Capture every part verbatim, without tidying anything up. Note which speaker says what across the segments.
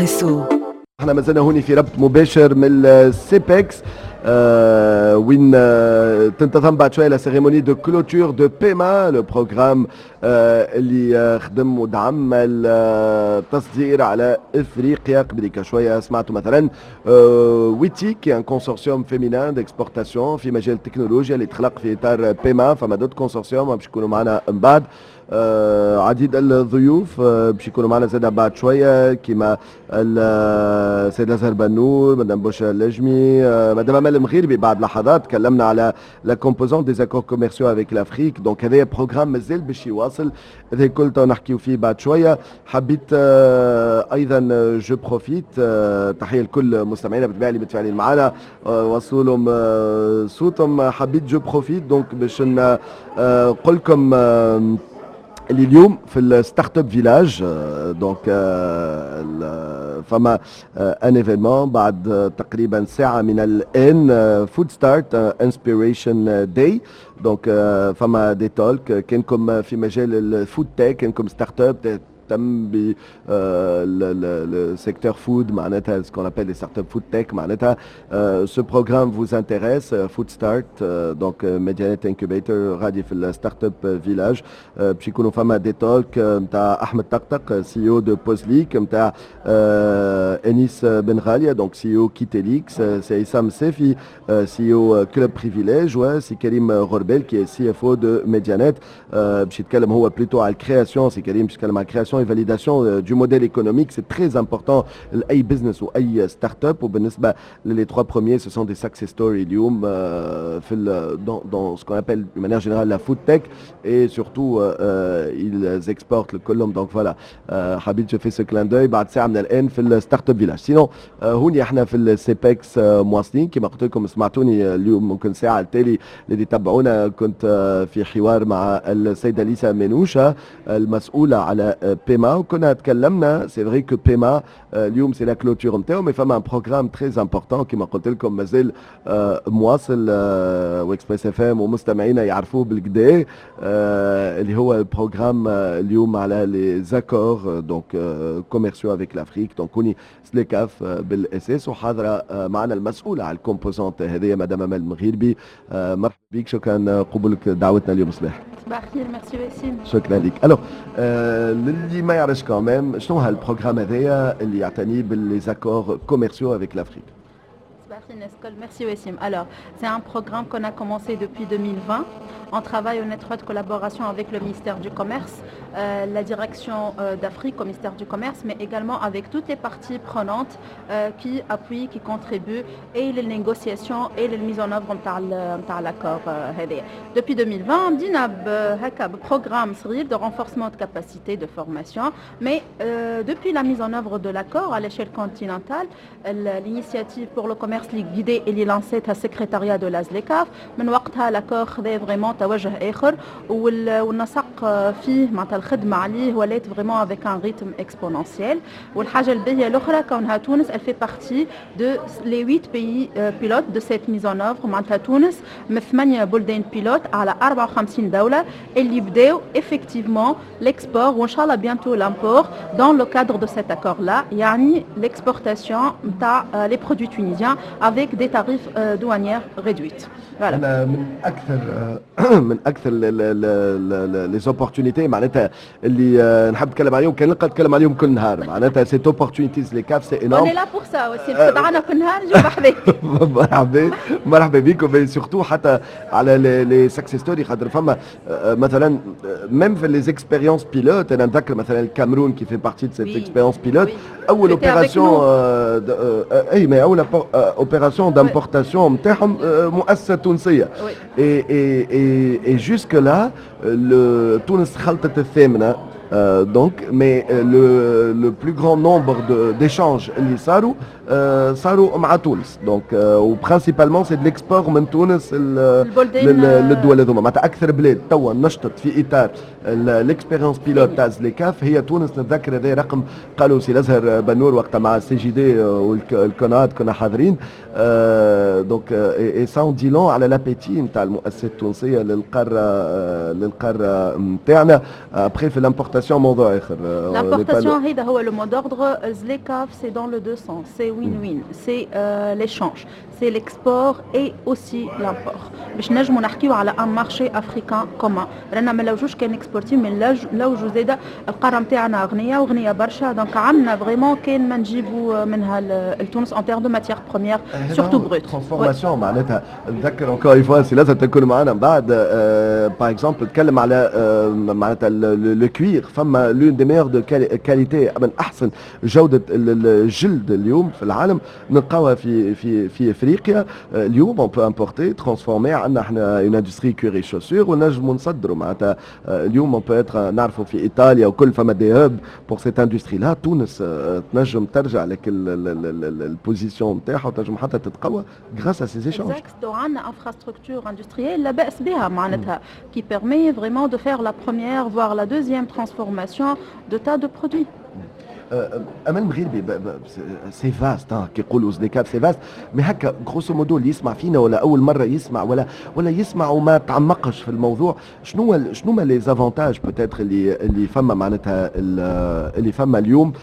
Speaker 1: اكسبريسو.
Speaker 2: احنا مازلنا هوني في ربط مباشر من ال CEPEX آه وين آه تنتظم بعد شوية la cérémonie de clôture de PEMA، le programme آه اللي آه خدم ودعم التصدير على افريقيا. قبليك شوية سمعتوا مثلا آه WETIC، un consortium féminin d'exportation في مجال التكنولوجيا اللي تخلق في اطار PEMA. فما d'autres consortiums باش يكونوا معنا من بعد. آه عديد الضيوف آه باش يكونوا معنا زاد بعد شويه، كيما السيد الازهر بنور، مدام بشرى اللجمي، آه مدام امال المغيربي. بعد لحظات تكلمنا على la composante des accords commerciaux avec l'Afrique، donc هذا programme مازال باش يواصل. هذا الكل تو نحكيو فيه بعد شويه. حبيت آه ايضا je profite، آه تحية لكل مستمعينا بالطبيعة اللي متفاعلين معنا، آه وصلوا لهم آه صوتهم. حبيت je profite donc باش نقول لكم آه اللي اليوم في ال Startup Village، donc فما un événement بعد تقريبا ساعة من الان، Food Start Inspiration Day. donc فما des talks، كانكم في مجال ال food tech، كانكم startup تهتم ب le secteur food، معناتها ce qu'on appelle les startups food tech، معناتها ce programme vous intéresse، Food Start، donc Medianet Incubator غادي في ال Startup Village. باش يكونوا فما des talks نتاع احمد طقطق، CEO de Pozlik، نتاع انيس بن غالية، donc CEO Kitelix، سي عصام السافي، CEO Club Privilège، وسي كريم غربال qui est CFO de Medianet. باش يتكلم هو plutôt على ال création، سي كريم باش يتكلم على ال création et validation du modèle économique، c'est très important لاي business واي startup. وبالنسبة les trois premiers، ce sont des success stories اليوم في dans, dans ce qu'on appelle de manière générale la food tech et surtout euh, ils exportent الكلهم. donc voilà، حبيت je fais ce clin d'œil بعد ساعة من الان في ال Startup Village. sinon هوني احنا في ال CEPEX مواصلين. كما قلت لكم، سمعتوني اليوم ممكن ساعة التالي اللي تبعونا، كنت في حوار مع السيدة ليسا منوشة المسؤولة على PEMA، وكنا تكلمنا. c'est vrai que PEMA اليوم c'est la clôture نتاعو، mais فما un programme très important كما قلت لكم مازال مواصل، و Express FM ومستمعينا يعرفوه بالقدا، اللي هو ال programme اليوم على les accords donc commerciaux avec l'Afrique. donc هوني ZLECAF بالاساس، وحاضره معنا المسؤولة على ال composante هذه، مدام امال المغيربي. مرحبا بك، شكرا قبولك دعوتنا اليوم الصباح.
Speaker 3: صباح الخير، ميرسي وسيم.
Speaker 2: شكرا لك. alors آه للي ما يعرفش quand même، شنو هال programme هذايا اللي يعتني ب les accords commerciaux avec l'Afrique؟
Speaker 3: Merci Wessim. Alors, c'est un programme qu'on a commencé depuis deux mille vingt. On travaille en étroite collaboration avec le ministère du Commerce, euh, la direction euh, d'Afrique au ministère du Commerce, mais également avec toutes les parties prenantes euh, qui appuient, qui contribuent et les négociations et les mises en œuvre de l'accord هذايا. Depuis deux mille vingt, بدينا ب programme صغير de renforcement de capacité de formation, mais depuis la mise en œuvre de l'accord à l'échelle continentale, l'initiative pour le commerce guidé اللي لانسيتها secrétariat de la ZLECAF، من وقتها l'accord خذا vraiment توجه اخر، والنسق فيه معناتها الخدمة عليه ولات vraiment avec un rythme exponentiel. والحاجة الباهيه الاخرى كونها تونس elle fait partie de les huit pays pilotes de cette mise en œuvre، معناتها تونس من ثمانية بلدان pilotes على أربعة وخمسين دولة اللي بداو effectivement l'export وان شاء الله bientôt l'import dans le cadre de cet accord là، يعني l'exportation نتاع les produits tunisiens avec des tarifs douanières réduits.
Speaker 2: Voilà. انا من اكثر من اكثر les opportunités معناتها اللي نحب نتكلم عليهم، كان نلقى نتكلم عليهم كل نهار، معناتها cette opportunité ZLECAF، c'est
Speaker 3: énorme. on est là pour ça aussi، تدعنا كل نهار نجيو بحذاك.
Speaker 2: مرحبا، مرحبا بكم. surtout حتى على les success stories، خاطر فما مثلا même في les expériences pilotes، انا نذكر مثلا الكاميرون qui fait partie de cette expérience pilote، اول opération، اي mais اول opération d'importation نتاعهم مؤسسة تونسيه، et et et et jusque-là تونس خلطت الثامنه، donc mais le le plus grand nombre d'échanges اللي صاروا صاروا مع تونس، donc و principalement c'est de l'export من تونس للدول هذوما. معناتها اكثر بلاد توا نشطت في اطار l'expérience pilote تاع ZLECAF هي تونس. نتذكر هذا رقم قالوا سي الازهر بنور وقتها مع ال CJD والكونات، كنا حاضرين. donc et ça en dit long على l'appétit نتاع المؤسسات التونسية للقاره للقاره نتاعنا. après في l'importation l'importation موضوع اخر.
Speaker 3: l'importation هذا هو le mot d'ordre. ZLECAF, c'est dans le deux sens, c'est win-win, c'est euh, l'échange, c'est l'export et aussi l'import. باش نجموا نحكيو على un marché africain commun. رانا ما نلوجوش كان exporter, mais نلوجو زاده القارة نتاعنا غنية وغنيه برشا, donc عندنا vraiment كان ما نجيبوا منها لتونس en termes de matières premières, surtout brutes.
Speaker 2: transformation معناتها. نذكر encore une fois سي لازم تكون معنا من بعد, par exemple تكلم على معناتها le cuir, فما l'une des meilleures de qualité, من احسن جوده الجلد اليوم في العالم نلقاوها في في في افريقيا. اليوم on peut importer, transformer, عندنا احنا une industrie cuir chaussures ونجموا نصدروا. معناتها اليوم on peut être نعرفوا في ايطاليا وكل فما des hubs pour cette industrie-là. تونس تنجم ترجع لك ال position نتاعها وتنجم حتى تتقوى grâce à ces échanges.
Speaker 3: Exact, عندنا infrastructure industrielle لا باس بها معناتها qui permet vraiment de faire la première voire la deuxième transformation de tas de produits.
Speaker 2: امال مغربي, c'est vaste, كي يقولوا ZLECAF c'est vaste, mais هكا grosso modo اللي يسمع فينا ولا اول مرة يسمع ولا ولا يسمع وما تعمقش في الموضوع, شنو شنو ما les avantages peut-être اللي اللي فما معناتها اللي فما اليوم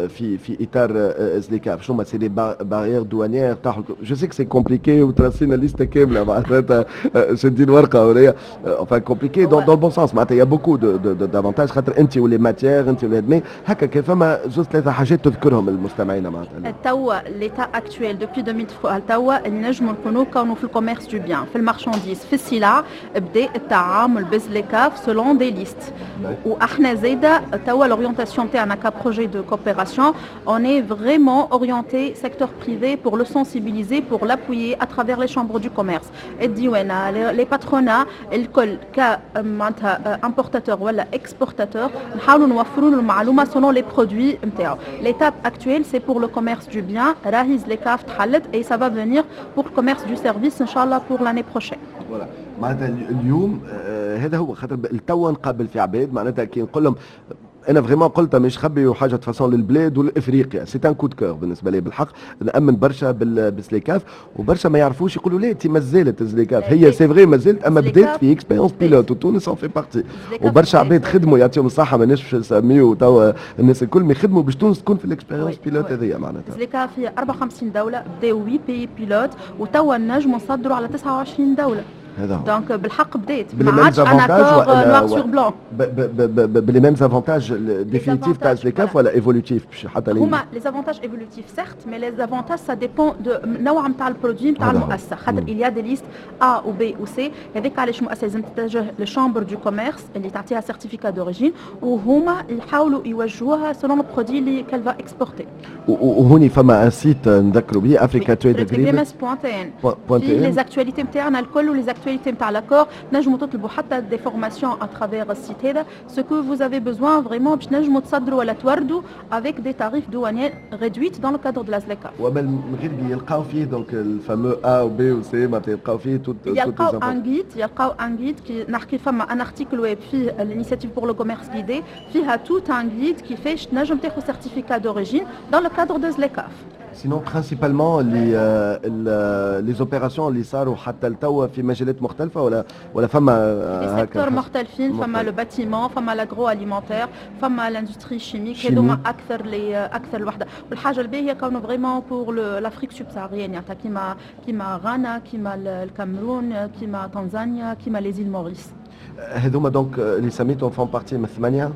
Speaker 2: في في اطار ZLECAF؟ شنو ما c'est les barrières douanières تاع, je sais que c'est compliqué وتراسينا liste كاملة معناتها شادين ورقة ولا, enfin compliqué dans dans le bon sens, معناتها y a beaucoup d'avantages خاطر انت و les matières انت ولا هكا كيف فما زوج ثلاثة حاجات تذكرهم المستمعين معناتها.
Speaker 3: توا l'état actuel depuis ألفين وثلاثة توا نجموا نكونوا كونوا في ال commerce du bien, في ال marchandise, في السلع, بدا التعامل ب ZLECAF selon des listes. واحنا زايدة توا l'orientation تاعنا ك projet de coopération, on est vraiment orienté secteur privé pour le sensibiliser, pour l'appuyer à travers les chambres du commerce, الديوانه, les patronats الكل, ك معناتها importateur ولا exportateur نحاولوا نوفروا له المعلومة selon les produits نتاعو. l'étape actuelle, c'est pour le commerce du bien, راهي ZLECAF تحلت et ça va venir pour le commerce du service ان شاء الله pour l'année prochaine.
Speaker 2: voilà, معناتها اليوم آه هذا هو, خاطر التوا نقابل في عباد معناتها كي نقول لهم انا vraiment قلتها مش خبي وحاجه façon للبلاد والافريقيا, c'est un coup de cœur بالنسبة لي. بالحق نامن برشا ب ZLECAF وبرشا ما يعرفوش, يقولوا لا انت مازالت ZLECAF. هي c'est vrai مازالت, اما بدات في expérience pilote وتونس en fait partie, وبرشا عباد خدموا يعطيهم الصحه, ماناش باش نسميو توا الناس الكل, mais خدموا باش تونس تكون في ال expérience pilote هذيا معناتها.
Speaker 3: ZLECAF هي أربعة وخمسين دولة, بداو ثمانية pays pilotes وتوا نجموا نصدروا على تسعة وعشرين دولة.
Speaker 2: هذا هو.
Speaker 3: donc بالحق بديت ما عادش un accord noir sur blanc.
Speaker 2: ب les mêmes avantages définitifs تاع ZLECAF ولا évolutifs حتى؟
Speaker 3: هما les avantages évolutifs certes, mais les avantages ça dépend de نوع نتاع ال produit نتاع المؤسسه, خاطر il y a des listes A ou B ou C. هذاك علاش المؤسسة لازم تتجه لل chambre du commerce اللي تعطيها certificat d'origine وهما يحاولوا يوجهوها selon ال produit اللي qu'elle va exporter.
Speaker 2: وهوني فما un site نذكروا به, Africa Trade
Speaker 3: Agreement point tn, فيه les actualités نتاعنا الكل و les actualités نتاع l'accord. نجموا تطلبوا حتى des formations à travers ال site هذا, ce que vous avez besoin vraiment باش نجموا تصدروا ولا توردوا avec des tarifs douaniers réduits dans le cadre de la ZLECAF.
Speaker 2: ومن غير يلقاو فيه donc ال fameux A و B و C, معناتها يلقاو فيه tout
Speaker 3: يلقاو un guide يلقاو un guide كي نحكي فما un article web فيه l'initiative pour le commerce guidé, فيها tout un guide كيفاش تنجم تاخذ certificat d'origine dans le cadre de ZLECAF.
Speaker 2: Sinon, principalement les, euh, les opérations اللي صاروا حتى لتوا في مجالات مختلفة ولا ولا فما
Speaker 3: les secteurs مختلفين؟ فما le bâtiment, فما l'agroalimentaire, فما l'industrie chimique, هذوما اكثر les اكثر الوحده. والحاجة الباهيه كونه vraiment pour l'Afrique subsaharienne, يعني كيما كيما غانا, كيما الكاميرون, كيما تنزانيا, كيما les îles Maurice.
Speaker 2: هذوما donc اللي سميتهم font partie من ثمانية؟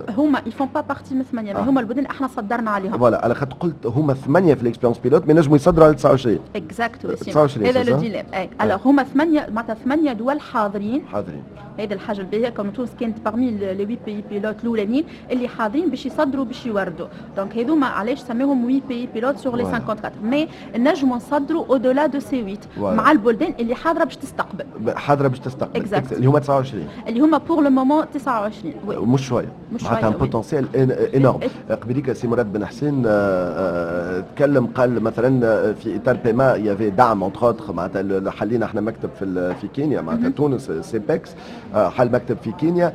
Speaker 3: هما ils font pas partie من ثمانيه, آه. هما البلدان احنا صدرنا عليهم.
Speaker 2: voilà, على خاطر قلت هما ثمانية في l'expérience pilote mais نجموا يصدروا على تسعة وعشرين.
Speaker 3: exact, تسعة وعشرين. هذا le dilemme اي. alors هما ثمانيه, معناتها ثمانية دول حاضرين.
Speaker 2: حاضرين.
Speaker 3: هذا الحاجة الباهيه كون تونس كانت parmi les huit pays pilotes الاولانيين اللي حاضرين باش يصدروا باش يوردوا. donc هذوما علاش سميهم huit pays pilotes sur les cinquante-quatre, mais نجموا نصدروا au-delà de ces huit مع البلدان اللي حاضره باش تستقبل.
Speaker 2: حاضره باش تستقبل, اللي هما تسعة وعشرين.
Speaker 3: اللي هما pour le moment تسعة وعشرين.
Speaker 2: مش شويه,
Speaker 3: مش
Speaker 2: معناتها potentiel énorme. قبليك سي مراد بن حسين آه، آه، تكلم قال مثلا في اطار PEMA y avait دعم entre autres, معناتها حلينا احنا مكتب في في كينيا, معناتها تونس CEPEX حل مكتب في كينيا,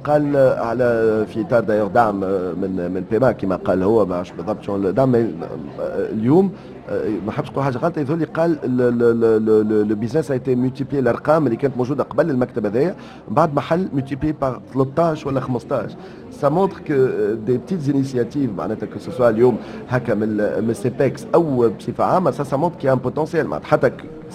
Speaker 2: قال على في اطار d'ailleurs دعم من من PEMA كما قال هو, ما بالضبط شنو الدعم اليوم. ما حبش نقول حاجة غلطه، يظهر لي قال le business a été multiplié، الارقام اللي كانت موجودة قبل المكتب هذايا بعد ما حل multiplié par ثلاثطاش ولا خمسطاش. ça montre que des petites initiatives، معناتها que ce soit اليوم هكا من من CEPEX او بصفة عامه، ça ça montre qu'il y a un potentiel. معناتها حتى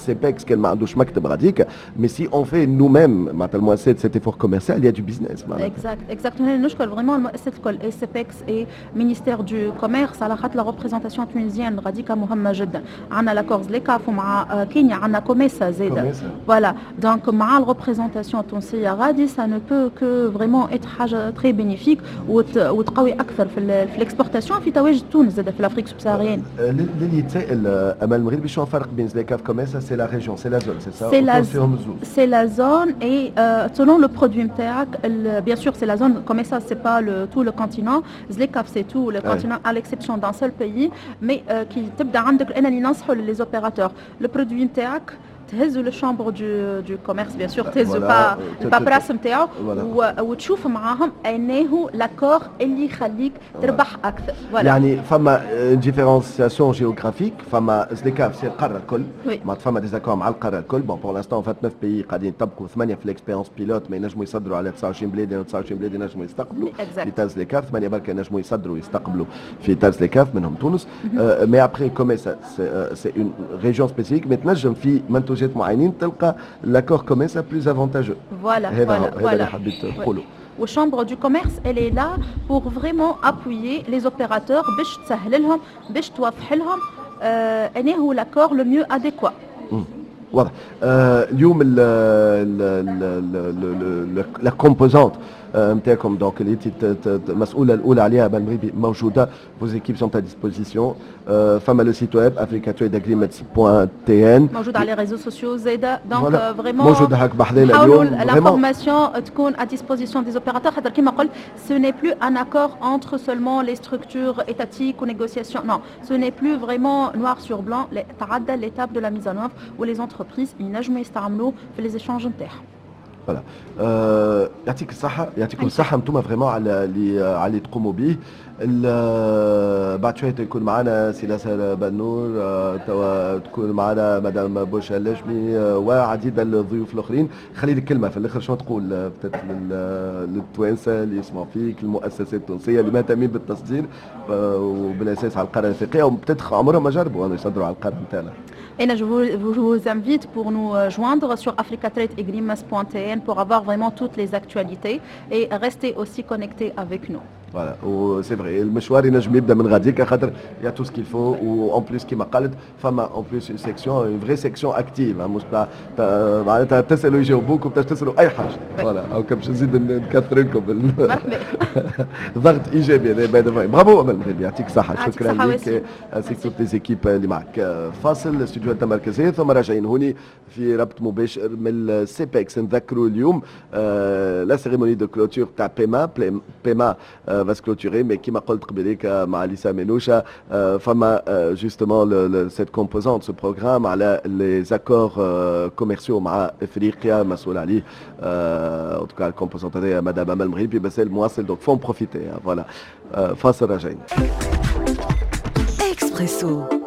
Speaker 2: CEPEX كان ما عندوش مكتب غاديك، mais si on fait nous-mêmes معناتها المؤسسات cet effort commercial، il y a du business.
Speaker 3: معناتها exact exact نشكر vraiment المؤسسات الكل، et CEPEX et ministère du commerce، على خاطر la représentation tunisienne غاديك مهمة جدا. عندنا l'accord ZLECAF ومع كينيا عندنا كوميسا زاده. voilà، donc مع ال représentation التونسية غادي، ça ne peut que vraiment être حاجة très bénéfique وتقوي اكثر في في l'exportation، في تواجد تونس زاده في l'Afrique subsaharienne.
Speaker 2: للي يتسائل، امال المغربي، شنو الفرق بين ZLECAF، COMESA؟ c'est la région، c'est la zone، c'est ça؟
Speaker 3: c'est la c'est la zone et selon le produit نتاعك. bien sûr c'est la zone COMESA، c'est pas le tout le continent. ZLECAF c'est tout le continent à l'exception d'un seul pays. mais كي تبدا عندك، انا اللي ننصحوا les opérateurs، le produit نتاعك تهزوا لل chambre du du commerce، bien sûr تهزوا با ال paperasse نتاعو وتشوف معاهم انه l'accord اللي يخليك تربح اكثر.
Speaker 2: يعني فما différenciation géographique، فما ZLECAF c'est القارة الكل، معناتها فما des accords مع القارة الكل. bon، pour l'instant vingt-neuf pays قاعدين يطبقوا، ثمانية في l'expérience pilote، ما ينجموا يصدروا على تسعة وعشرين بلاد، لانه تسعة وعشرين بلاد ينجموا يستقبلوا في تاع ZLECAF، ثمانية بركة ينجموا يصدروا ويستقبلوا في تاع ZLECAF، منهم تونس. mais après COMESA c'est une région spécifique، mais تنجم في منتوجات معينين تلقى l'accord COMESA plus avantageux.
Speaker 3: voilà.
Speaker 2: هذا هذا اللي حبيت تقوله.
Speaker 3: وال chambre du commerce elle est là pour vraiment appuyer les opérateurs، باش تسهل لهم، باش توضح لهم آه انه هو l'accord le mieux adéquat.
Speaker 2: واضح. آه اليوم la composante نتاعكم، donc اللي انت المسؤولة الاولى عليها بالمغربي، موجوده، vos équipes sont à disposition، فما le site web africatradeagreements point T N.
Speaker 3: موجود على les réseaux sociaux زاده، donc vraiment
Speaker 2: موجود هاك بحذانا
Speaker 3: اليوم. l'information تكون à disposition des opérateurs، خاطر كيما قلت ce n'est plus un accord entre seulement les structures étatiques ou négociations، non، ce n'est plus vraiment noir sur blanc، تعدى l'étape de la mise en œuvre و les entreprises ينجموا يستعملوه في les échanges نتاعهم.
Speaker 2: voilà، آه يعطيك الصحة، يعطيكم الصحة انتم vraiment على اللي على اللي تقوموا به. بعد شوية يكون معنا سي لاسر بنور، آه، توا تكون معنا مدام بوشا اللجمي آه، وعديد الضيوف الاخرين. خلي لك كلمة في الاخر، شنو تقول للتوانسه اللي يسمعوا فيك، المؤسسات التونسية اللي مهتمين بالتصدير آه، وبالاساس على القارة الافريقيه، و peut-être عمرهم ما جربوا انه يصدروا على القارة نتاعنا؟
Speaker 3: Et je vous, je vous invite pour nous joindre sur africatradeagreements point T N pour avoir vraiment toutes les actualités et rester aussi connectés avec nous.
Speaker 2: voilà، و c'est vrai، المشوار ينجم يبدا من غاديك، خاطر y a tout ce qu'il faut، و en plus كيما قالت فما en plus une section، une vraie section active، مش معناتها تسالوا يجاوبوك وبتاش تسالوا اي حاجه. voilà، او باش نزيد نكثر لكم ضغط ايجابي هذا. bravo امل المغربي، يعطيك الصحه، شكرا لك ainsi que toutes les équipes اللي معك. فاصل الاستوديو المركزيه، ثم راجعين هوني في ربط مباشر من ال CEPEX. نذكروا اليوم la cérémonie de clôture تاع PEMA، PEMA va se clôturer، mais كيما قلت قبليك مع ليسا منوشا، فما justement cette composante، ce programme على les accords commerciaux مع افريقيا، مسؤول عليه en tout cas ال composante هذايا مدام امل المغربي، بس المواصل، donc faut en profiter. voilà، فاصل، راجعين.
Speaker 1: اكسبريسو.